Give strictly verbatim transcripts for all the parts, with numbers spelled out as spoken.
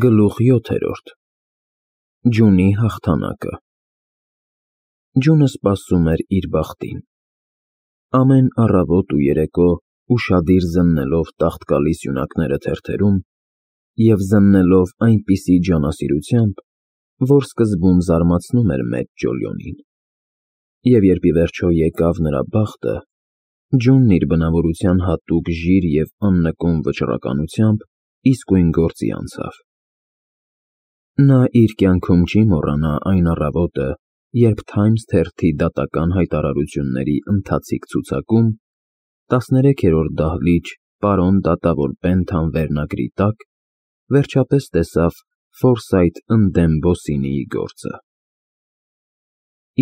Գլուխ յոթերորդ Ջունի հաղթանակը Ջունը սպասում էր իր բախտին։ Ամեն առավոտ ու երեկո ուշադիր զննելով տաղտկալի սյունակները թերթերում և զննելով այնպիսի ջանասիրությամբ, որ սկզբում զարմացնում էր մեծ Ջոլիոնին։ Եվ երբ ի վերջո եկավ նրա բախտը, Ջունն իր բնավորության հատուկ ժիր և աննկուն վճռականությամբ իսկույն գործի անցավ։ Նա իր կյանքում չի մոռանա այն առավոտը, երբ Թայմս թերթի դատական հայտարարությունների ընթացիկ ցուցակում տասներեքերորդ դահլիճ «Պարոն դատավոր Պենթան» վերնագրի տակ վերջապես տեսավ Ֆորսայթ ընդդեմ Բոսինիի գործը։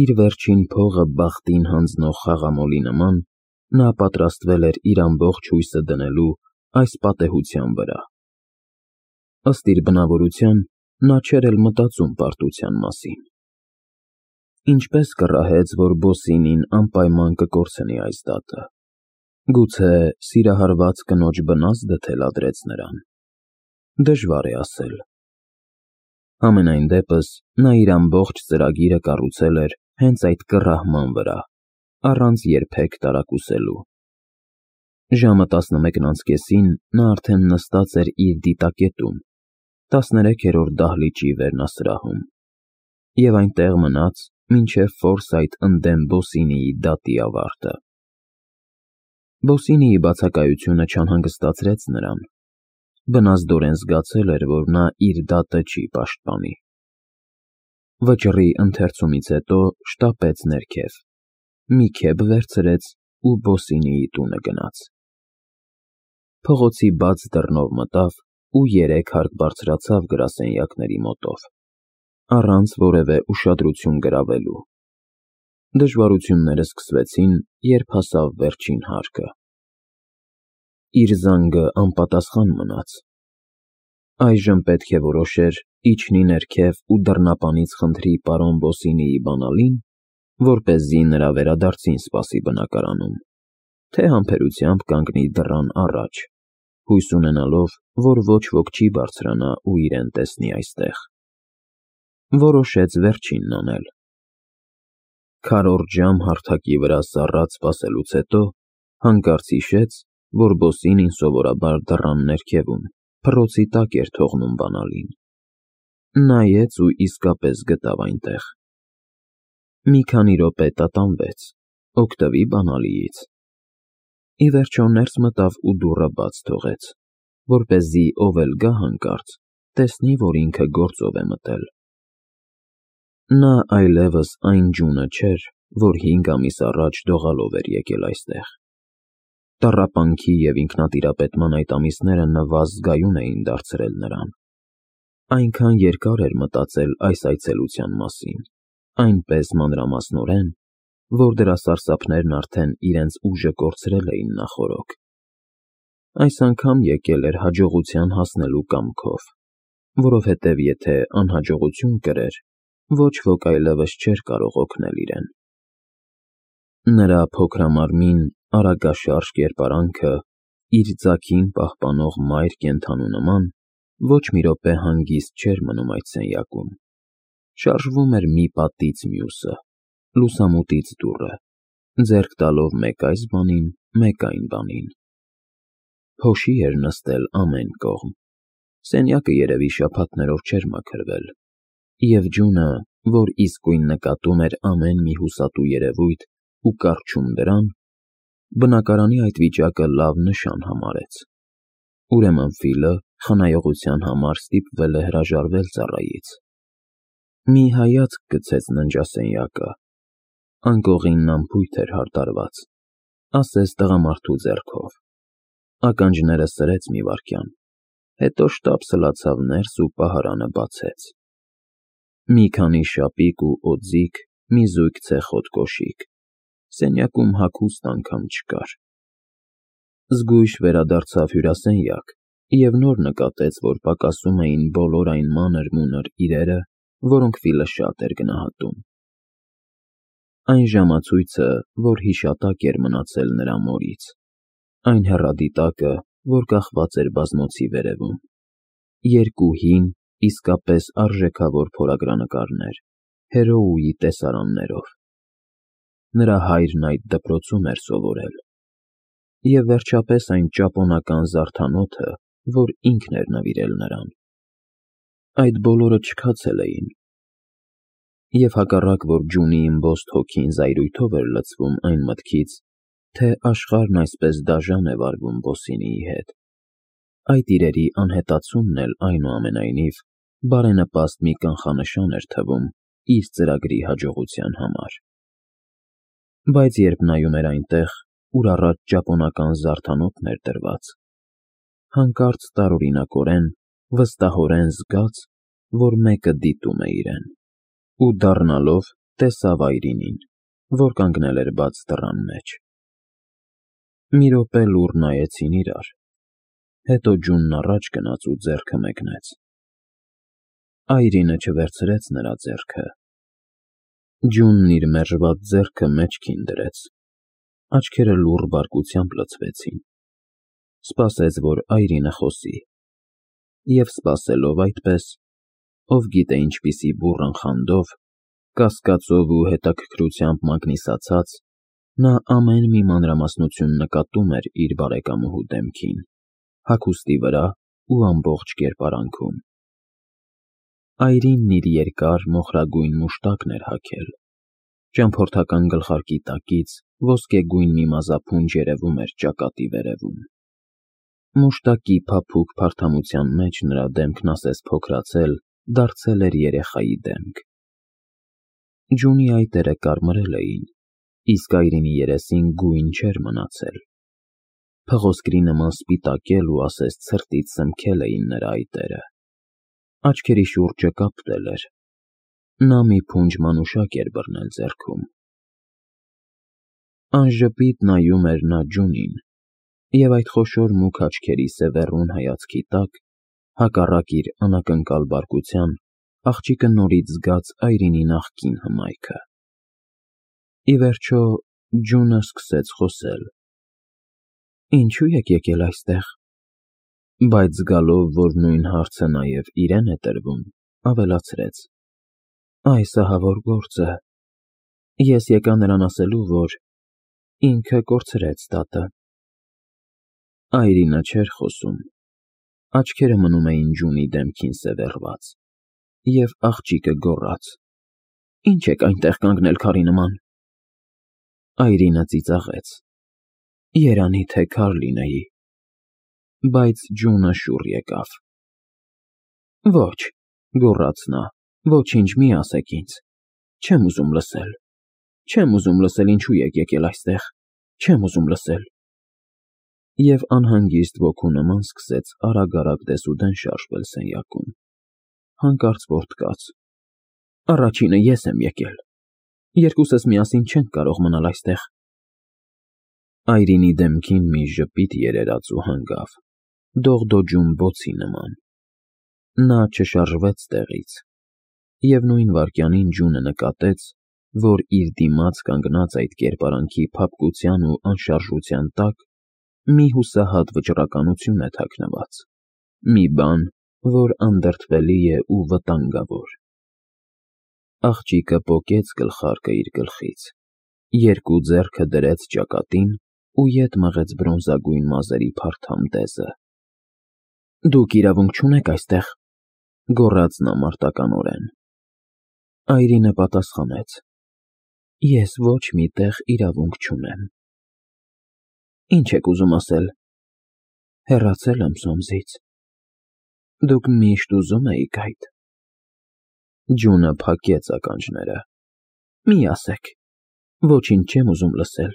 Իր վերջին փողը բախտին հանձնող խաղամոլի նման, նա պատրաստվել էր իր ամբողջ հույսը դնելու այս պատեհության վրա։ Ըստ իր բնավորության, նա չէր էլ մտածում պարտության մասին։ Ինչպե՞ս կռահեց, որ Բոսինին անպայման կկորցնի այս դատը։ Գուցե սիրահարված կնոջ բնազդը թելադրեց նրան։ Դժվար է ասել։ Համենայն դեպս, նա իր ամբողջ ծրագիրը կառուցել էր հենց այդ կռահման վրա, առանց երբեք տարակուսելու։ Ժամը տասնմեկն անց կեսին նա արդեն նստած էր իր դիտակետում, տասներեքերորդ դահլիճի վերնասրահում, և այնտեղ մնաց, մինչև Ֆորսայթ ընդդեմ Բոսինիի դատի ավարտը։ Բոսինիի բացակայությունը չանհանգստացրեց նրան։ Բնազդորեն զգացել էր, որ նա իր դատը չի պաշտպանի։ Վճռի ընթերցումից հետո շտապեց ներքև, մի քեֆ վերցրեց ու Բոսինիի տունը գնաց։ Փողոցի բաց դռնով մտավ ու երեք հարկ բարձրացավ գրասենյակների մոտով, առանց որևէ ուշադրություն գրավելու։ Դժվարությունները սկսվեցին, երբ հասավ վերջին հարկը։ Իր զանգը անպատասխան մնաց։ Այժմ պետք է որոշեր իջնի ներքև ու դռնապանից խնդրի պարոն Բոսինիի բանալին, որպեսզի նրա վերադարձին սպասի բնակարանում, թե համբերությամբ կանգնի դռան առաջ, հույս ունենալով, որ ոչ ոք չի բարձրանա ու իրեն տեսնի այստեղ։ Որոշեց վերջինն անել։ Քառորդ ժամ հարթակի վրա սառած սպասելուց հետո հանկարծ հիշեց, որ Բոսինին սովորաբար դռան ներքևում, փռոցի տակ էր թողնում բանալին։ Նայեց ու իսկապես գտավ այնտեղ։ Մի քանի րոպե տատանվեց, օգտվի բանալիից։ Ի վերջո ներս մտավ ու դուռը բաց թողեց, որպեսզի ով էլ գա հանկարծ, տեսնի, որ ինքը գործով է մտել։ Նա այլևս այն Ջունը չէր, որ հինգ ամիս առաջ դողալով էր եկել այստեղ։ Տառապանքի և ինքնատիրապետման այդ ամիսները նվազ զգայուն էին դարձրել նրան։ Այնքան երկար էր մտածել այս այցելության մասին, այնպես մանրամասնորեն, որ դրա սարսափներն արդեն իրենց ուժը կորցրել էին նախօրոք։ Այս անգամ եկել էր հաջողության հասնելու կամքով, որովհետև եթե անհաջողություն կրեր, ոչ ոք այլևս չէր կարող օգնել իրեն։ Նրա փոքրամարմին, արագաշարժ կերպարանքը, իր ձագին պահպանող մայր կենդանու նման, ոչ մի րոպե հանգիստ չէր մնում այդ սենյակում։ Շարժվում էր մի պատից մյուսը, լուսամուտից դուռը, ձեռք տալով մեկ այս բանին, մեկ այն բանին։ Փոշի էր նստել ամեն կողմ։ Սենյակը երևի շաբաթներով չէր մաքրվել, և Ջունը, որ իսկույն նկատում էր ամեն մի հուսատու երևույթ ու կառչում դրան, բնակարանի այդ վիճակը լավ նշան համարեց։ Ուրեմն Ֆիլը խնայողության համար ստիպվել է հրաժարվել ծառայից։ Մի հայացք գցեց ննջասենյակը։ Անկողինն անփույթ էր հարդարված, ասես տղամարդու ձեռքով։ Ականջները սրեց մի վայրկյան, հետո շտապ սլացավ ներս ու պահարանը բացեց։ Մի քանի շապիկ ու օձիք, մի զույգ ցեխոտ կոշիկ։ Սենյակում հագուստ անգամ չկար։ Զգույշ վերադարձավ հյուրասենյակ և նոր նկատեց, որ պակասում էին բոլոր այն մանր-մունր իրերը, որոնք Ֆիլը շատ էր գնահատում։ Այն ժամացույցը, որ հիշատակ էր մնացել նրա մորից, այն հեռադիտակը, որ կախված էր բազմոցի վերևում, երկու հին, իսկապես արժեքավոր փորագրանկարներ, հերոուի տեսարաններով։ Նրա հայրն այդ դպրոցում էր սովորել։ Եվ վերջապես այն ճապոնական զարդանոթը, որ ինքն էր նվիրել նրան։ Այդ բոլորը չքացել էին։ Եվ հակառակ որ Ջունի իմբոստ հոգին զայրույթով էր լցվում այն մտքից, թե աշխարհն այսպես դաժան է վարվում Բոսինիի հետ, այդ իրերի անհետացումն էլ այնուամենայնիվ բարենպաստ մի կանխանշան էր թվում իր ծրագրի հաջողության համար։ Բայց երբ նայում էր այնտեղ, ուր առաջ ճապոնական զարդանոթն էր դրված, հանկարծ տարօրինակորեն, վստահորեն զգաց, որ մեկը դիտում է իրեն, ու դառնալով տեսավ Այրինին, որ կանգնել էր բաց դռան մեջ։ Մի րոպե լուռ նայեցին իրար, հետո Ջունն առաջ գնաց ու ձեռքը մեկնեց։ Այրինը չվերցրեց նրա ձեռքը։ Ջունն իր մերժված ձեռքը մեջքին դրեց, աչքերը լուռ բարկությամբ լցվեցին, սպասեց, որ Այրինը խոսի, և սպասելով այդպես, ով գիտե ինչպիսի բուռն խանդով, կասկածով ու հետաքրքրությամբ մագնիսացած, նա ամեն մի մանրամասնություն նկատում էր իր բարեկամուհու դեմքին, հագուստի վրա ու ամբողջ կերպարանքում։ Այրինն իր երկար մոխրագույն մուշտակն էր հագել, ճամփորդական գլխարկի տակից ոսկեգույն մի մազափունջ երևում էր ճակատի վերևում։ Մուշտակի փափուկ փարթամության մեջ նրա դեմքն ասես փոքրացել, դարձել էր երեխայի դեմք։ Ջունի այտերը կարմրել էին, իսկ Այրինի երեսին գույն չէր մնացել։ Փղոսկրի նման սպիտակել ու ասես ցրտից սնմքել էին նրա այտերը։ Աչքերի շուրջը կապտել էր։ Նա մի փունջ մանուշակ էր բռնել ձեռքում։ Անժպիտ նայում էր նա Ջունին, և այդ խոշոր մուգ աչքերի սևեռուն հայացքի տակ, հակառակ իր անակնկալ բարկության, աղջիկը նորից զգաց Այրինի նախկին հմայքը։ Ի վերջո Ջունը սկսեց խոսել. «Ինչու եք եկել այստեղ»։ Բայց զգալով, որ նույն հարցը նաև իրեն է տրվում, ավելացրեց. «Այս ահավոր գործը, ես եկա նրան ասելու, որ ինքը կորցրեց տատը»։ Այրինը չէր խոսում, աչքերը մնում էին Ջունի դեմքին սևեռված, և աղջիկը գոռաց. «Ինչ եք այնտեղ կանգնել քարի նման»։ Այրինը ծիծաղեց. «Երանի թե քար լինեի»։ Բայց Ջունը շուռ եկավ։ «Ոչ», գոռաց նա, «ոչինչ մի ասեք ինձ, չեմ ուզում լսել, չեմ ուզում լսել ինչու եք եկել այստեղ, չեմ ուզում լսել»։ Եվ անհանգիստ ոգու նման սկսեց արագ-արագ դեսուդեն շարժվել սենյակում, հանկարծ որդկաց. «Առաջինը ես եմ եկել, երկուսս միասին չենք կարող մնալ այստեղ»։ Այրինի դեմքին մի ժպիտ երերաց ու հանգավ, դողդոջուն բոցի նման։ Նա չշարժվեց տեղից, և նույն վայրկյանին Ջունը նկատեց, որ իր դիմաց կանգնած այդ կերպարանքի փափկության ու անշարժության տակ մի հուսահատ վճռականություն է թաքնված, մի բան, որ անդրդվելի է ու վտանգավոր։ Աղջիկը պոկեց գլխարկը իր գլխից, երկու ձեռքը դրեց ճակատին ու ետ մղեց բրոնզագույն մազերի փարթամ դեզը։ «Դուք իրավունք չունեք այստեղ», գոռաց նա մարտականորեն։ Այրինը պատասխանեց. «Ես ոչ մի տեղ իրավունք չունեմ»։ «Ինչ եք ուզում ասել»։ «Հեռացել եմ Սոմսից»։ «Դուք միշտ ուզում էիք այդ»։ Ջունը փակեց ականջները։ «Մի ասեք, ոչինչ չեմ ուզում լսել,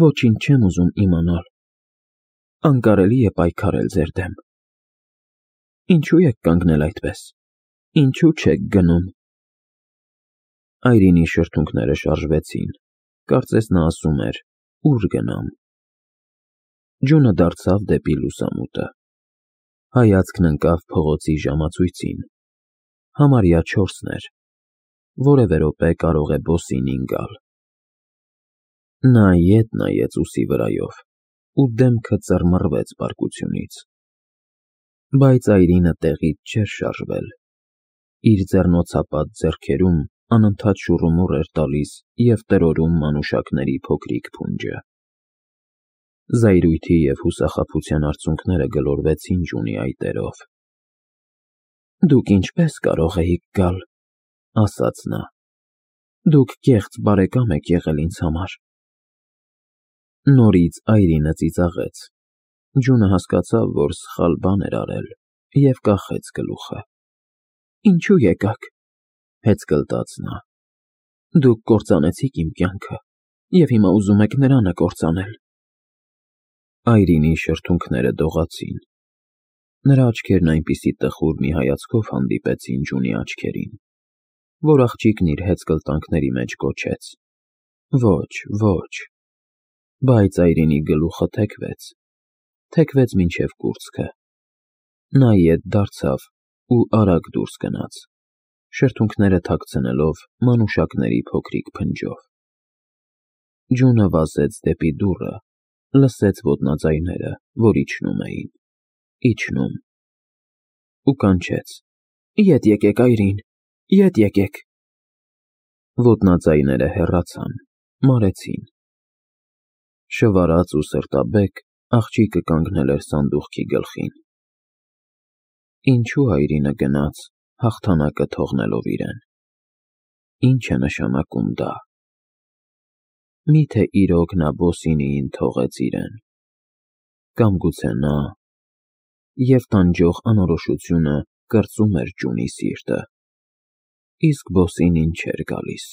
ոչինչ չեմ ուզում իմանալ։ Անկարելի է պայքարել ձեր դեմ։ Ինչու եք կանգնել այդպես, ինչու չեք գնում»։ Այրինի շրթունքները շարժվեցին, կարծես նա ասում էր. «Ո՞ւր գնամ»։ Ջունը դարձավ դեպի լուսամուտը։ Հայացքն ընկավ փողոցի ժամացույցին։ Համարյա չորսն էր, որևէ րոպե կարող է Բոսինին գալ։ Նա ետ նայեց ուսի վրայով, ու դեմքը ծռմռվեց բարկությունից։ Բայց Այրինը տեղից չէր շարժվել, իր ձեռնոցապատ ձեռքերում անընդհատ շուռումուռ էր տալիս և տրորում մանուշակների փոքրիկ փունջը։ Զայրույթի և հուսախաբության արցունքները գլորվեցին Ջունի այտերով։ «Դուք ինչպե՞ս կարող էիք գալ,» ասաց նա։ «Դուք կեղծ բարեկամ եք եղել ինձ համար»։ Նորից այրինը ծիծաղեց։ Ջունը հասկացավ, որ սխալ բան էր արել, և կախեց գլուխը։ «Ինչո՞ւ եկաք,» հեծկլտաց նա։ «Դուք կործանեցիք իմ կյանքը, և հիմա ուզում եք նրան կործանել»։ Այրինի շրթունքները դողացին։ Նրա աչքերն այնպիսի տխուր մի հայացքով հանդիպեցին Ջունի աչքերին, որ աղջիկն իր հեծկլտանքների մեջ գոչեց. «Ոչ, ոչ»։ Բայց Այրինի գլուխը թեքվեց, թեքվեց մինչև կուրծքը։ Նա ետ դարձավ ու արագ դուրս գնաց, շրթունքները թաքցնելով մանուշակների փոքրիկ փնջով։ Ջունը վազեց դեպի դուռը, լսեց ոտնաձայները, որ իջնում էին, իջնում… ու կանչեց. «Ետ եկեք, Այրին, ետ եկեք»։ Ոտնաձայները հեռացան, մարեցին։ Շվարած ու սրտաբեկ, աղջիկը կանգնել էր սանդուղքի գլխին։ Ինչո՞ւ Այրինը գնաց, հաղթանակը թողնելով իրեն։ Ի՞նչ է նշանակում դա։ Մի՞թե իրոք նա Բոսինիին թողեց իրեն։ Կամ գուցե նա… Եվ տանջող անորոշությունը կրծում էր Ջունի սիրտը, իսկ Բոսինին չէր գալիս։